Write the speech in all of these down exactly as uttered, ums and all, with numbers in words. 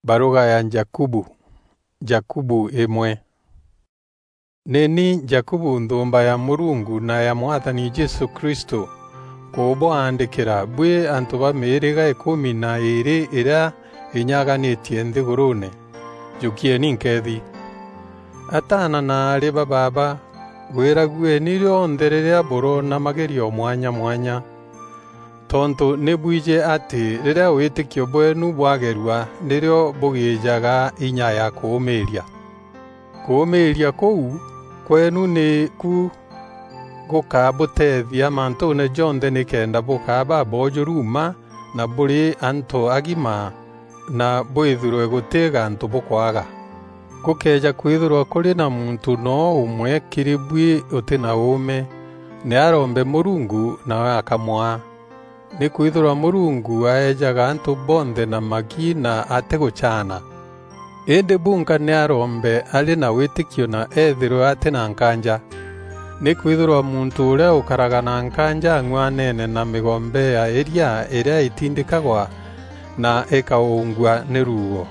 Baruga ya Jakubu. Jakubu imwe. Ni ni Jakubu, nthumba ya Murungu na ya Mwathani Jesu Kristo, kubuandikira bwi antu ba miiriga ikumi na iiri iria inyaganitie nthiguruune. Jukieni nkethi. Ataana na aari ba baaba, gwiragueni rionthe riria buroona magerio mwanya mwanya. Tontu ni bwiji ati riria witikio bweenu bwagerua, nirio bugiijaga inya ya kuumiiria. Kuumiiria kuu kweenu ni ku gukabuteethia mantuune jonthe, nikenda bukaa baboojuru mma na buri antu agima, na bwithirwe guti gantu bukwaga. Gukeeja kwithirwa kuri na muntu noo umwe kiri bui uti na uume, ni arombe Murungu, nawe akamwaa. Nikwithirwa Murungu aejaga antu bonthe na maki na atigucaana. Indi bunka ni arombe ari na witikio na eethirwe ati na nkaanja. Nikwithirwa muntu uria ukaraga na nkaanja ang'uanene na migombe ya iria iria itindikagwa na ikaungua ni ruuo.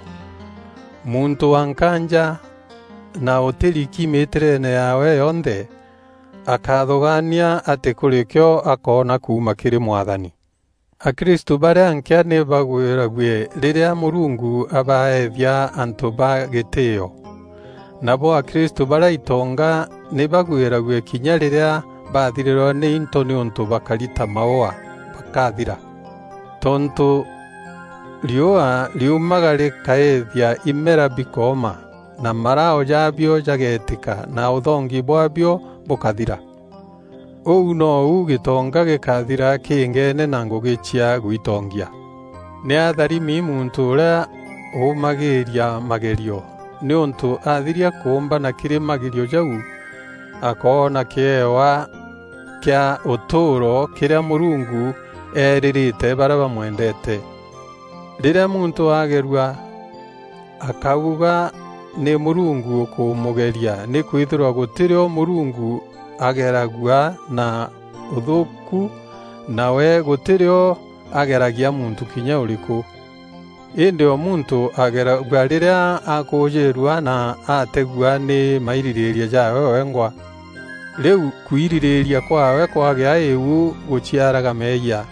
Muntu wa nkaanja na utiriki miitireene yaawe yonthe, akathugaania ati kuri kio akoona kuuma kiri Mwathani. Akristu baria nkea ni bagwirague riria Murungu abaethia antu ba gitiio. Nabo Akristu baria itonga ni bagwirague kinya riria bathirirwa ni into niuntu bakari ta maua bakathira. Tontu riua riumaga rikaethia imera bikooma, na marao jaabio jageetika, na uthongi bwaabio bukathira. Uu nou gitonga gikathira kingeene na ngugi cia gwitongia. Ni atharimi muntu uria uumagiiria magerio, niuntu athiria kuumbana kiri magerio jau, akoona kiewa kia utuuro kiria Murungu eeririte baria bamwendete. Riria muntu agerua, akauga ni Murungu ukumugeria, nikwithirwa gutirio Murungu ageragua na uthuuku, nawe gutirio ageragia muntu kinya uriku. Indi o muntu ageragua riria akuujirua na ategua ni maiririiria jaawe wengwa. Riu kwiririiria kwaawe kwagia iu guciaraga meeyia,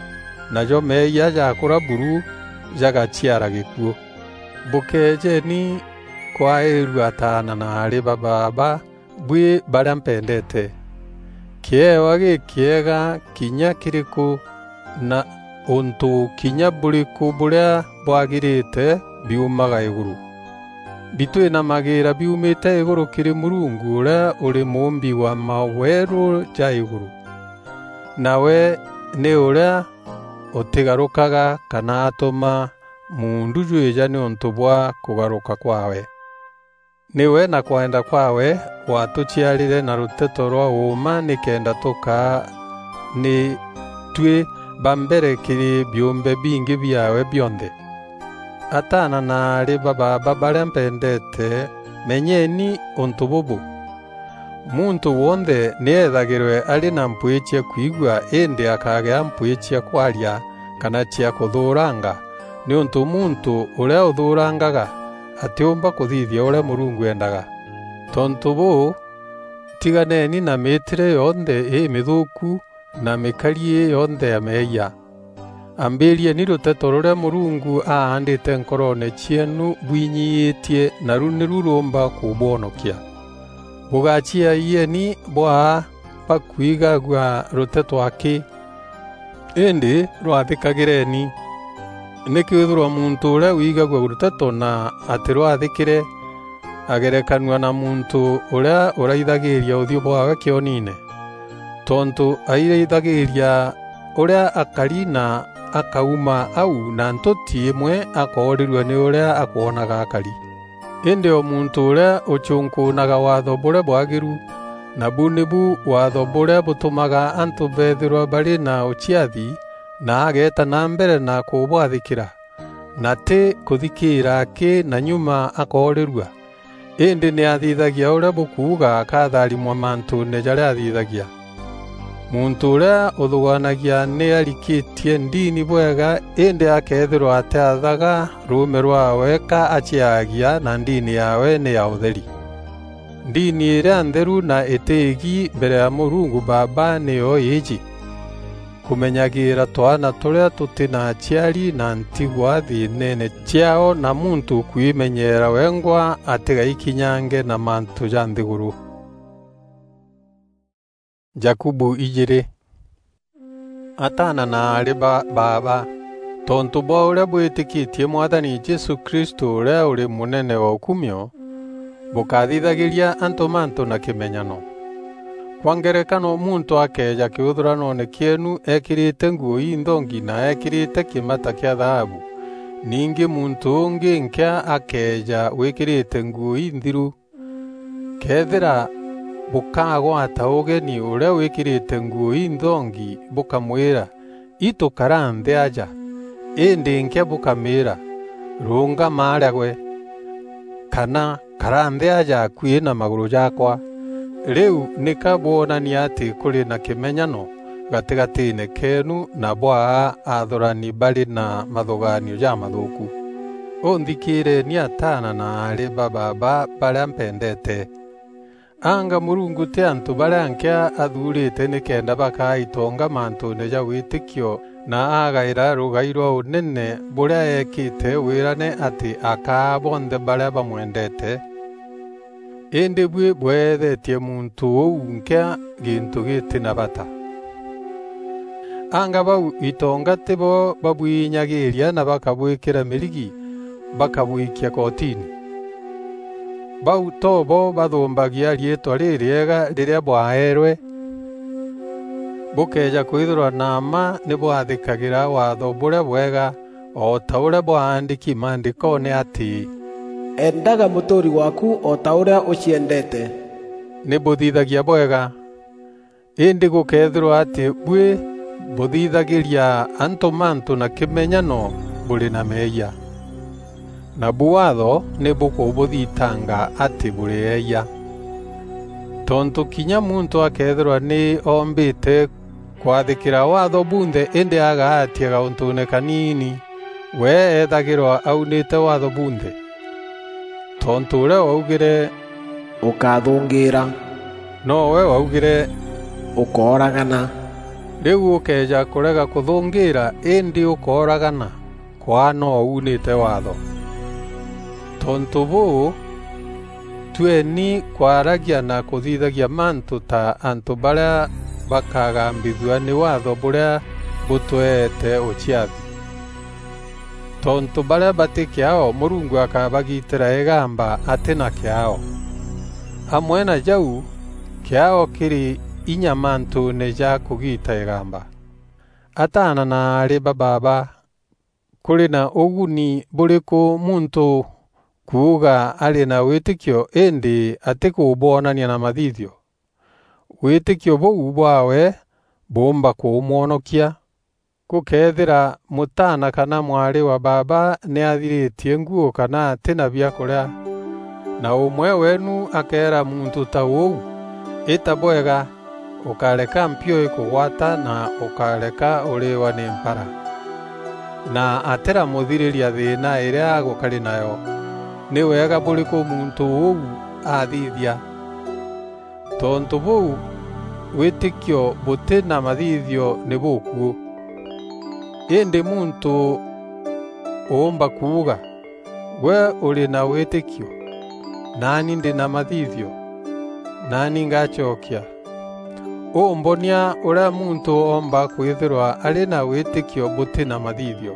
najo meeyia jakura buru jagaciara gikuu. Bukeejeni kwairua ataana na aari ba baaba bui baria mpendete. Kiewa gikiega kinya kiriku na untu kinya buriku buria bwagirite biumaga iguru. Bitwinamagira biumite iguru kiri Murungu uria uri muumbi wa maweru ja iguru. Nawe ni uria utigarukaga kana atuma muundu jwija niuntu bwa kugaruka kwawe. Niwe na kwenda kwawe watuciarire na ruteto rwa uuma nikenda tukaa ni tui ba mbere kiri biumbe bingi biaawe bionthe. Ataana na aari ba baaba baria mpendete, menyeni untu bubu. Muntu wonthe ni eethagirwe ari na mpwii cia kwigua, indi akagea mpwii cia kwaria kana cia kuthuuranga, niuntu muntu uria uthuurangaga atiumba kuthithia uria Murungu endaga. Tontu buu, tiganeni na miitire yonthe imithuuku na mikari ii yonthe ya meeyia. Ambirieni ruteto ruria Murungu aandite nkoroone cieenu bwinyiitie, naru niru ruumba kubwonokia. Bugaciaieni bwaa bakwigagua ruteto aki, indi rwathikagireni. Nikwithirwa muntu uria wigagua ruteto na atirwathikire, agerekanua na muntu uria uraithagiiria uthiu bwaawe kioniine. Tontu airaithagiiria uria akari na akauma au na ntuti imwe akoorirua ni uria akwonaga akari. Indi o muntu uria ucunkuunaga waatho buria bwagiru, nabu nibu waatho buria butumaga antu beethirwa bari na uciathi, na ageeta na mbere na kubwathikira, na ti kuthikiira aki na nyuma akoorirua, indi ni athithagia uria bukuuga, akatharimwa mantuune jaria athithagia. Muntû ûrîa ûthûgaanagia nî arikitie ndini bwega, îndî akeethîrwa atîathaga rûûme rwaawe ka aciaagia, na ndini yaawe nî ya ûtheri. Ndini îrîa ntheru na îtîîgi mbere ya Mûrungu Baaba nîyo îîjî: kûmenyagîîra twaana tûrîa tûtî na aciari na ntigwa thîîneene ciaao, na muntû kwîmenyeera wengwa atîgaikinyange na mantû ja nthîgûrû. Jakubu ijîîrî. Ataana na aarî ba baaba, tontû bwa ûrîa bwîtîkîtie Mwathani Jesû Kristû ûrîa ûrî mûnene wa ûkumio, bûkathithagîria antû mantû na kîmenyano. Kwa ngerekano, muntû akeeja kîûthûranoone kîeenu eekîrîte nguû inthongi na eekîrîte kîmata kîa thaabu, ningî muntû ûngî nkîa akeeja wîkîrîte nguû inthiru, Këethîra bûkagwata ûgeni ûrîa wîkîrîte nguû inthongi, bûkamwîra, "Itû kara nthî aja," îndî nkîa bûkamîîra, "Rûngama arîa gwe," kana, "Kara nthî aja akuî na magûrû jaakwa," rîu nîka bwonania atî kûrî na kîmenyano gatîgatîîne keenu na bwaa athûrani barî na mathûgaanio jamathûûku. Ûnthikîîreeni ataana na aarî ba baaba barîa mpendeete. Anga Mûrungu tî antû barîa nkîa athuurîte nîkenda bakaa itonga mantûûne ja wîtîkio na agaîra rûgai rwa ûnene bûrîa eekîte wîrane atî akaa bonthe barîa bamwendeete? Îndî buî bweethetie muntû ûu nkîa gîntû gîtî na bata. Anga bau itonga tîbo babwinyagîîria na bakabwîkîra mîrigi, bakabwikia kotini? Bau to bo bathûmbagia riîtwa rîrîega rîrîa bwaeerwe? Bûkëeja kwîthîrwa na mma nî bwathîkagîra waatho bûrîa bwega, o ta ûrîa bwaandîki Maandîkoone atî, "Endaga mûtûûri waaku o ta ûrîa ûciendeete." Nî bûthithagia bwega. Îndî gûkeethîrwa atî buî bûthithagîria antû mantû na kîmenyano, bûrî na meeyia. Nabu Waatho nî bûkûbûthitanga atî bûrî eeyia. Tontû kinya muntû akeethîrwa nî oombîte kwathîkîra Waatho bunthe îndî agaatia gaûntûûne kaniini, we eethagîrwa aunîte Waatho bunthe. Tontû ûrîa waugîre, "Ûkáthûngîîra," nowe waugîre, "Ûkooragana." Rîu ûkëeja kûrega kûthûngîîra îndî ûkooragana, kwaa noo uunîte Waatho. Tontû bûû, tueni kwaragia na kûthithagia mantû ta antû barîa bakagambithua nî Waatho bûrîa bûtweete ûciathi. Tontû barîa batî kîaao, Mûrungu akabagitîra îgamba atî na kîaao. Amwe na jau, kîaao kîrî inya mantûûne ja kûgiita îgamba. Ataana na aarî ba baaba, kûrî na ûguni bûrîkû muntû kuuga arî na wîtîkio îndî atîkûbwonania na mathithio? Wîtîkio bûu bwaawe bûûmba kûmwonokia. Gûkeethîra mûtaana kana mwarî wa baaba nî athirîtie nguû kana atî na biakûrîa, na ûmwe weenu akeera muntû ta ûu, "Îta bwega, ûkareka mpio îkûgwata na ûkareka ûrîîwa nî mpara," na atîramûthirîria thîîna îrîa agûkarî nayo, nî wega bûrîkû muntû ûu athithia? Tontû bûu, wîtîkio bûtî na mathithio nî bûkuû. Îndî muntû ûûmba kuuga, "Gwe ûrî na wîtîkio, naani ndî na mathithio, naani ngacokia." Ûmbonia ûrîa muntû oomba kwîthîrwa arî na wîtîkio bûtî na mathithio,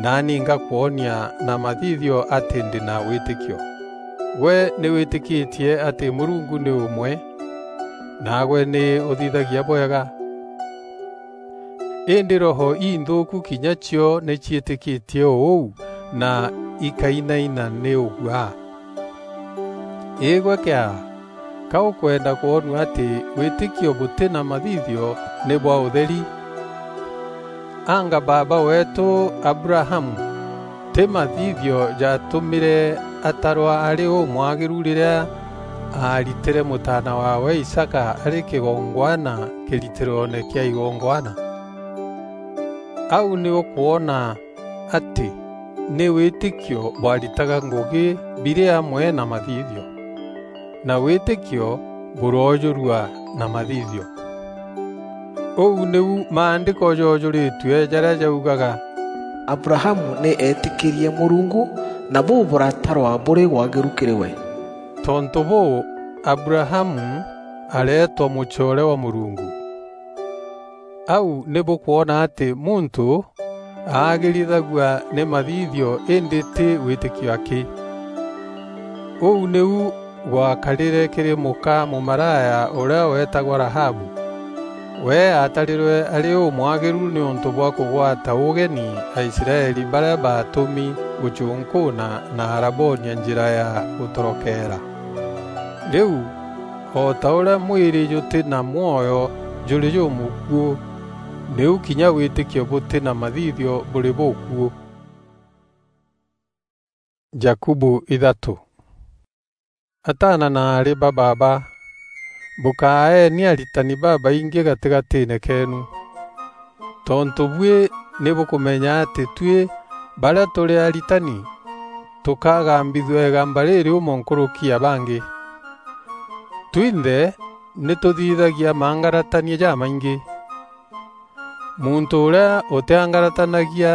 naani ngakwonia na mathithio atî ndî na wîtîkio. Gwe nî wîtîkîtie atî Mûrungu nî ûmwe, naagwe nî ûthithagia bwega. Îndî roho inthûûku kinya cio nî ciîtîkîtie ûu na ikainaina nî ûguaa. Îgwe kîaa, ka ûkwenda kwonua atî wîtîkio bûtî na mathithio nî bwa ûtheri? Anga baaba weetû Abrahamu, tî mathithio jaatûmîre atarwa arî ûmwagîru rîrîa aaritîre mûtaana waawe Isaka arî kîgongwana kîritîroone kîa igongwana. Au nî ûkwona atî nî wîtîkio bwaritaga ngûgî birî amwe na mathithio, na wîtîkio bûroojûrua na mathithio. Ûu nîu Maandîko joojûrîtue jarîa jaugaga, "Abrahamu nî eetîkîrie Mûrungu, na bûu bûratarwa bûrî wagîru kîrî we." Tontû bûû, Abrahamu areetwa mûcoore wa Mûrungu. Au nî bûkwona atî muntû aagîrithagua nî mathithio îndî tî wîtîkio akî. Ûu nîu gwakarîre kîrî mûka mûmaraya ûrîa weetagwa Rahabu. We aatarîrwe arî ûmwagîru nîûntû bwa kûgwata ûgeni Aisraeli barîa baatûmi gûcûnkûûna na arabonia njîra ya gûtorokeera. Rîu, o ta ûrîa mwîrî jûtî na mwoyo jûrî jûmûkuû, nîu kinya wîtîkio bûtî na mathithio bûrî bûkuû. Jakubu ithatû. Ataana na aarî ba baaba, bûkaeeni aritani babaingî gatîgatîîne keenu. Tontû buî nî bûkûmenya atî tuî barîa tûrî aritani, tûkagambithua îgamba rîrîûmo nkûrûki ya bangî. Twinthe nî tûthithagia mangaratania jamaingî. Muntû ûrîa ûtîangaratanagia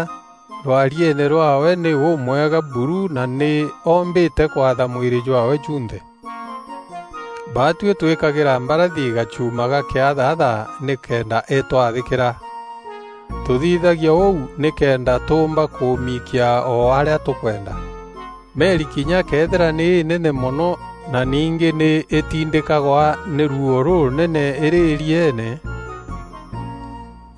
rwarieene rwaawe nî ûmwega buru na nî oombîte kwatha mwîrî jwaawe junthe. Baatuî twîkagîra mbarathi gachuma ga kîathatha nîkenda îtwathîkîra. Tûthithagia ûu nîkenda tûûmba kûmiikia o arîa tûkwenda. Meri kinya këethîra nî înene mono na ningî nî îtindîkagwa nî ruuo rûrûnene îrî îrieene,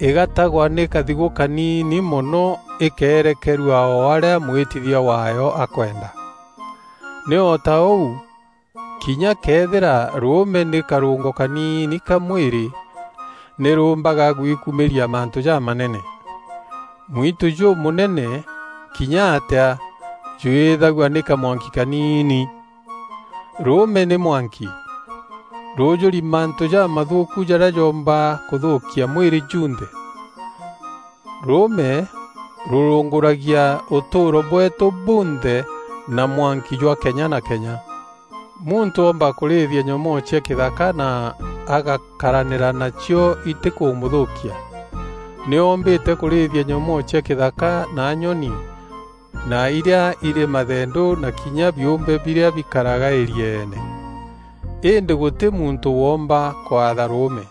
îgatagwa nî kathigû kaniini mono îkeerekerua o arîa mwîtithia waayo akwenda. Nî o ta ûu, kinya këethîra rûûme nî karûngo kaniini ka mwîrî, nî rûûmbaga gwikumîria mantû jamanene. Mwitu jûmûnene kinya atîa jwîîthagua nî kamwanki kaniini. Rûûme nî mwanki, rûûjûri mantû jamathûûku jarîa joomba kûthûûkia mwîrî junthe. Rûûme rûrûngûragia ûtûûro bweetû bunthe na mwanki jwa kenya na kenya. Muntû oomba kûrîîthia nyomoo cia kîthaka na agakaranîra nacio itîkûmûthûûkia. Nî oombîte kûrîîthia nyomoo cia kîthaka na nyoni, na irîa irî mathendû na kinya biûmbe birîa bikaraga îrieene. Îndî gûtî muntû woomba kwatha rûûme.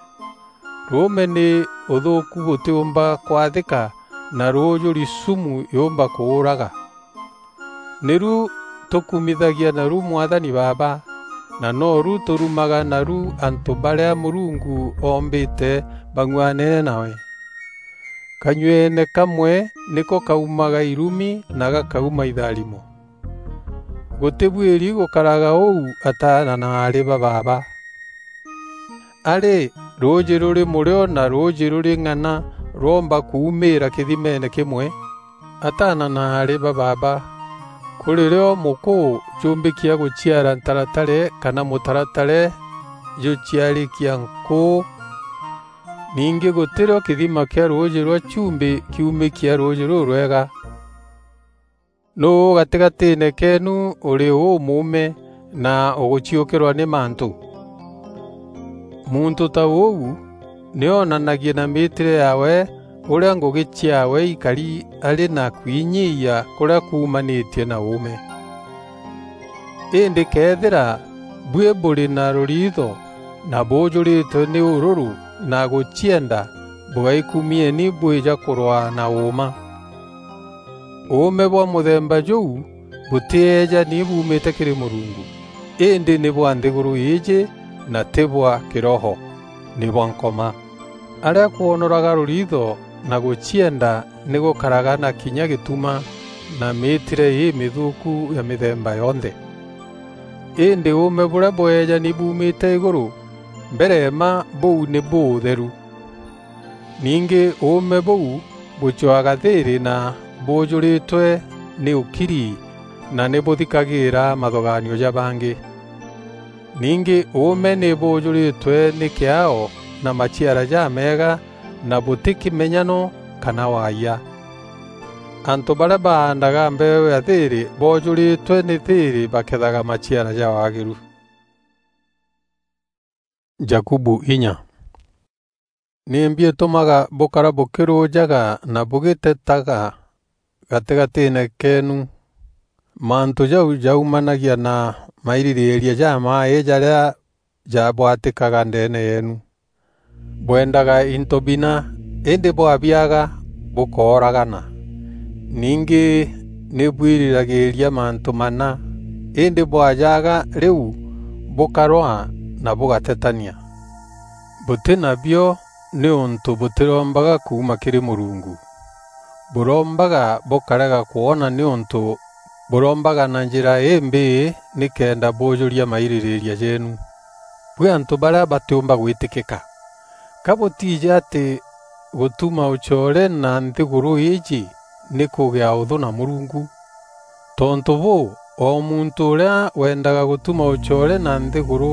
Rûûme nî ûthûûku bûtîûmba kwathîka, na rûûjûri sumu yûûmba kûûraga. Nîru tûkumithagia naru Mwathani Baaba, na noru tûrumaga naru antû barîa Mûrungu oombîte bang'uanene nawe. Kanyueene kamwe nîko kaumaga irumi na gakauma itharimo. Gûtîbuîri gûkaraga ûu ataana na aarî ba baaba. A rî, rûûjî rûrî mûrîo na rûûjî rûrî ng'ana rwoomba kuumîîra kîthimeene kîmwe? Ataana na aarî ba baaba, kûrî rîo mûkûû jûmbîkia gûciara ntaratare kana mûtaratare jûciarîkia nkûû, ningî gûtî rîo kîthima kîa rûûjî rwa chumbî kiumîkia rûûjî rûrwega. Nûû gatîgatîîne keenu ûrî ûmûûme na ûgûciûkîrwa nî mantû? Muntû ta ûu nî oonanagie na mîîtîre yaawe ûrîa ngûgî ciaawe ikari arî na kwinyiia kûrîa kuumanîtie na ûûme. Îndî këethîra buî bûrî na rûriitho na bûûjûrîtwe nî ûrûrû na gûcienda, bûgaikumieni bwîja kûrwaa na ûûma. Ûûme bwa mûthemba jûu bûtîeejani buumîte kîrî Mûrungu, îndî nî bwa nthîgûrû îîjî na tî bwa kîroho, nî bwa Nkoma. Arîa kwonoraga rûriitho na gûcienda nî gûkaraga na kinya gîtuma na mîîtîre îmîthûûku ya mîthemba yonthe. Îndî ûûme bûrîa bweejani buumîte îgûrû, mbere mma bûu nî bûûtheru. Ningî ûûme bûu bûcwaga thîîrî na bûûjûrîtwe nî ûkiri na nî bûthikagîîra mathugaanio ja bangî. Ningî ûûme nî bûûjûrîtwe nî kîaao na maciara jameega, na bûtî kîmenyano kana waayia. Antû barîa baandaga mbeeû ya thîîrî boojûrîtwe nî thîîrî bakethaga maciara ja waagîru. Jakubu inya. Nîmbi îtûmaga bûkara bûkîrûjaga na bûgîtetaga gatîgatîîne keenu? Mantû jau jaumanagia na mairîrîîria jamaaî jarîa jabwatîkaga ndeene yeenu. Bwendaga into bina, îndî bwabiaga bûkooragana. Ningî nî bwirîragîîria mantû mana, îndî bwajaga rîu bûkarwaa na bûgatetania. Bûtî nabio nîûntû bûtîrombaga kuuma kîrî Mûrungu. Bûrombaga bûkarega kwona nîûntû bûrombaga na njîra îmbîî nîkenda bûûjûria mairîrîîria jeenu. Buî antû barîa batîûmba gwîtîkîka! Ka bûtiijî atî gûtuma ûcoore na nthîgûrû îîjî nî kûgîa ûthû na Mûrungu? Tontû bûû, o muntû ûrîa wendaga gûtuma ûcoore na nthîgûrû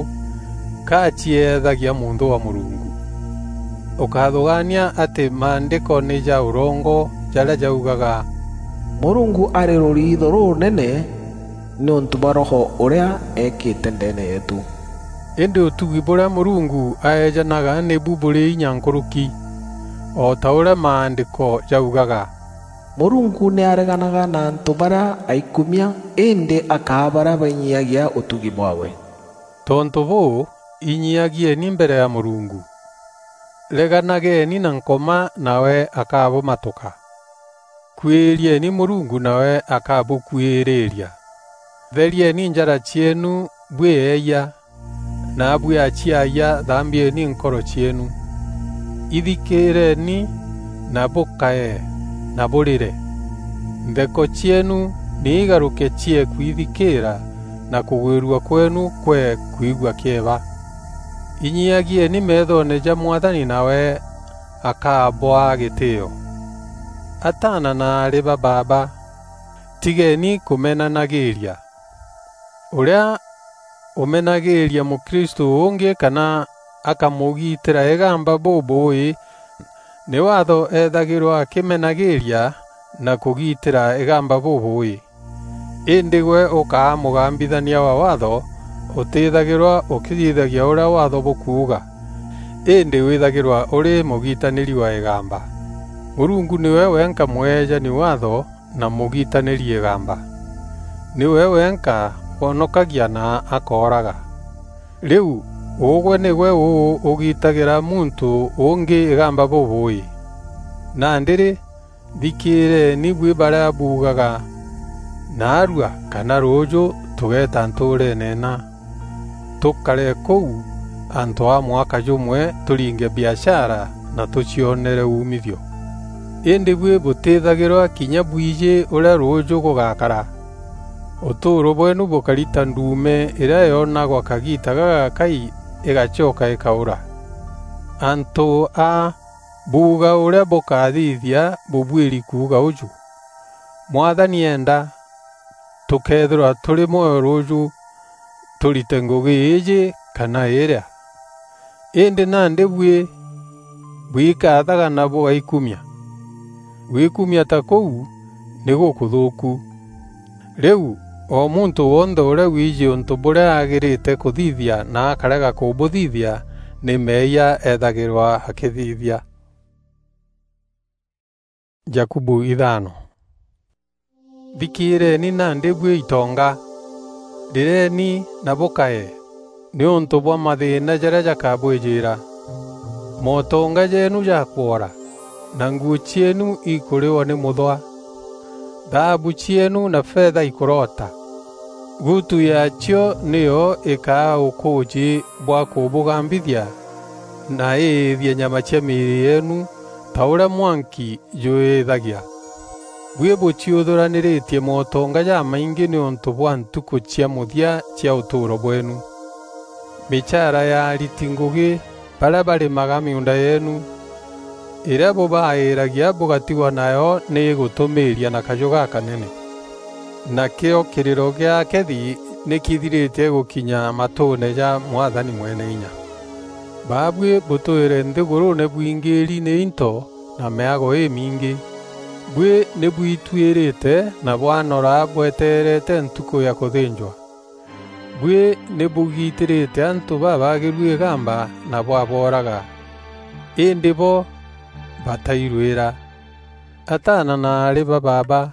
ka acieethagia mûnthû wa Mûrungu. Ûkathûgaania atî Maandîko nî ja ûrongo jarîa jaugaga, "Mûrungu arî rûriitho rûrûnene nîûntû bwa Roho ûrîa eekîte ndeene yeetû." Îndî ûtugi bûrîa Mûrungu aejanaga nîbu bûrî inya nkûrûki, o ta ûrîa Maandîko jaugaga, "Mûrungu nî areganaga na antû barîa aikumia, îndî akaa barîa bainyiagia ûtugi bwaawe." Tontû bûû, inyiagieni mbere ya Mûrungu. Reganageni na Nkoma, nawe akabûmatûka. Kuîrieni Mûrungu, nawe akabûkuîrîîria. Therieni njara cieenu buî eeyia, naabuî aciayia, thambieni nkoro cieenu. Ithikîîreni na bûkae na bûrîre. Ntheko cieenu nî igarûke ciee kwithikîîra, na kûgwîrua kweenu kwee kwigua kîeba. Inyiagieni meethoone ja Mwathani, nawe akabwaa gîtîîo. Ataana na aarî ba baaba, tigeni kûmenanagîîria. Ûrîa ûmenagîîria mûkristû ûngî kana akamûgiitîra îgamba bûbûûî, nî Waatho eethagîrwa akîmenagîîria na kûgiitîra îgamba bûbûûî. Îndî gwe ûkaa mûgambithania wa Waatho, ûtîîthagîrwa ûkîthithagia ûrîa Waatho bûkuuga, îndî wîthagîrwa ûrî mûgitanîri wa îgamba. Mûrungu nîwe wenka mweejani Waatho na mûgitanîri îgamba. Nîwe wenka wonokagia na akooraga. Rîu, ûgwe nîgwe ûû ûgitagîra muntû ûngî îgamba bûbûûî? Nandî rî, thikîîreeni buî barîa buugaga, "Naarua kana rûûjû tûgeeta ntûûreene îna, tûkare kûu antû a mwaka jûmwe, tûringe biashara na tûcionere umithio." Îndî buî bûtîthagîrwa kinya bwijî ûrîa rûûjû gûgakara. Ûtûûro bweenu bûkari ta nduume îrîa yoonagwa kagiita gagakai îgacoka îkaûra. Antû aa buuga ûrîa bûkathithia bûbuîri kuuga ûjû, "Mwathani eenda, tûkeethîrwa tûrî mwoyo rûûjû, tûrite ngûgî îîjî kana îîrîa." Îndî nandî buî bwikathaga na bûgaikumia. Gwikumia ta kûu nî gûkûthûûku. Rîu, o muntû wonthe ûrîa wiijî ûntû bûrîa agîrîte kûthithia na akarega kûbûthithia, nî meeyia eethagîrwa akîthithia. Jakubu ithano. Thikîîreeni nandî buî itonga, rîreeni na bûkae nîûntû bwa mathîîna jarîa jakabwîjîîra. Motonga jeenu jakwora, na nguû cieenu ikûrîwa nî mûthwa. Thaabu cieenu na fetha ikûroota. Gutu yaacio nîyo îkaa ûkûûjî bwa kûbûgambithia, na îîthie nyama cia mîîrî yeenu ta ûrîa mwanki jwîîthagia. Buî bûciûthûranîrîtie motonga jamaingî nîûntû bwa ntukû cia mûthia cia ûtûûro bweenu. Mîchaara ya ariti ngûgî barîa barîmaga mîgûnda yeenu, îrîa bûbaîîragia bûgatigwa nayo nî îgûtûmîîria na kajû gakanene. Nakîo kîrîro gîa akethi ni kithiritie gukinya matuune ja Mwathani Mweneinya. Baabui butwire nthiguruune bwingiri ni into na miago imingi. Bui ni bwituirite na bwanora bweteerete ntuku ya kuthinjwa. Bui ni bugitirite antu babagiru igamba na bwabooraga, indi bo batairwira. Ataana na aari ba baaba,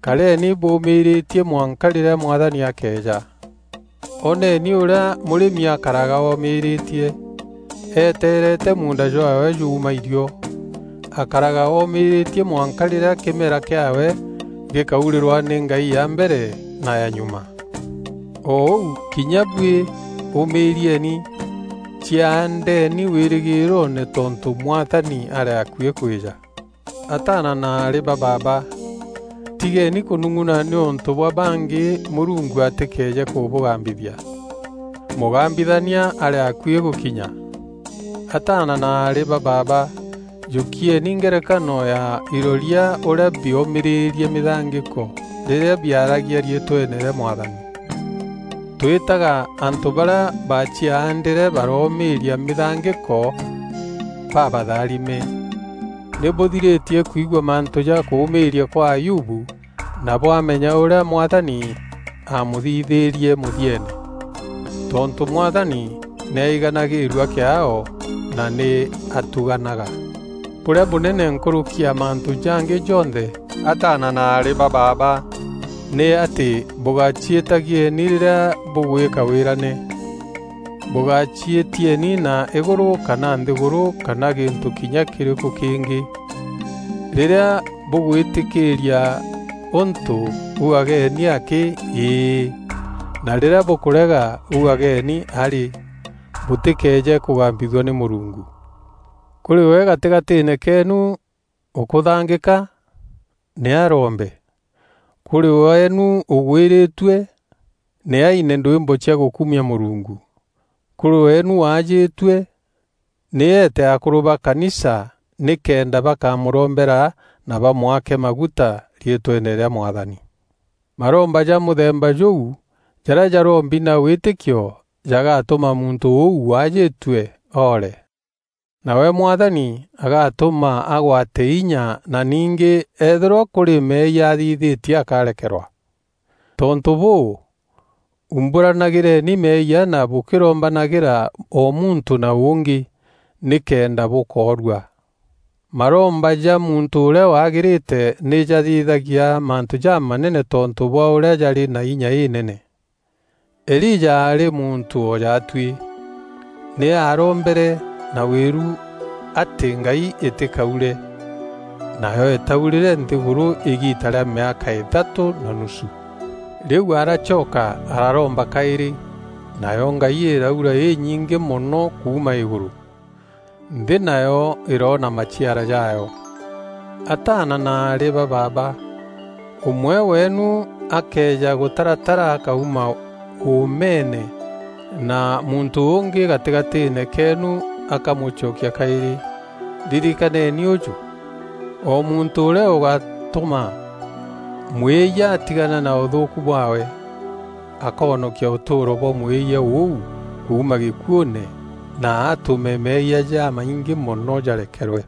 kareni buumiritie mwanka riria Mwathani akeeja. Oneni uria murimi akaraga omiritie, eteerete muunda jwaawe juuma irio. Akaraga omiritie mwanka riria kimera kiaawe gikaurirwa ni ngai ya mbere na ya nyuma. O uu, kinya bui umirieni, ciaandeni wirigiroone, tontu Mwathani ari akui kwija. Ataana na aari ba baaba, tigeni kunung'una niuntu bwa bangi Murungu atikeeje kubugambithia. Mugambithania ari akui gukinya. Ataana na aari ba baaba, jukieni ngerekano ya iroria uria biomiririe mithangiko riria biaragia riitweene ria Mwathani. Twitaga antu baria baciaandire baromiiria mithangiko babatharime. Ni buthiritie kwigua mantu ja kuumiiria kwa Ayubu, na bwamenya uria Mwathani aamuthithirie muthiene. Tontu Mwathani ni aiganagirua kiaao na ni atuganaga. Buria bunene nkuruki ya mantu jangi jonthe, ataana na aari ba baaba, ni ati bugaciitagieni riria bugwika wirane. Bugaciitieni na iguru kana nthiguru kana gintu kinya kiriku kingi. Riria bugwitikiiria untu, ugageni aki, "Ii," na riria bukurega, ugageni, "Ari," butikeeje kugambithua ni Murungu. Kuri we gatigatiine keenu ukuthangika, ni arombe. Kuri weenu ugwiritue, ni aine ndwimbo cia gukumia Murungu. Kuri weenu waajitue, ni eete akuru ba kanisa nikenda bakamurombera na bamwake maguta riitweene ria Mwathani. Maromba ja muthemba juu jaria jarombi na witikio jagatuma muntu uu waajitue oore. Nawe Mwathani agatuma agwate inya na ningi eethirwa kuri meeyia athithitie akarekerwa. Tontu buu, umburanagireni meeyia na bukirombanagira o muntu na ungi, nikenda bukoorua. Maromba ja muntu uria wagirite ni jathithagia mantu jamanene tontu bwa uria jari na inya inene. Elija aari muntu o jatui. Ni aarombere na wiru ati ngai itikaure, nayo itaurire nthiguru igiita ria miaka ithatu na nusu. Riu aracoka araromba kairi, nayo ngai iraura inyingi mono kuuma iguru. Nthi nayo iroona maciara jaayo. Ataana na aari ba baaba, umwe weenu akeeja gutaratara akauma uumeene, na muntu ungi gatigatiine keenu akamucokia kairi. Ririkaneni uju, o muntu uria ugatuma mwiiyia atigana na uthuuku bwaawe, akoonokia utuuro bwa mwiiyia uu kuuma gikuune, na atume meeyia jamaingi mono jarekerwe.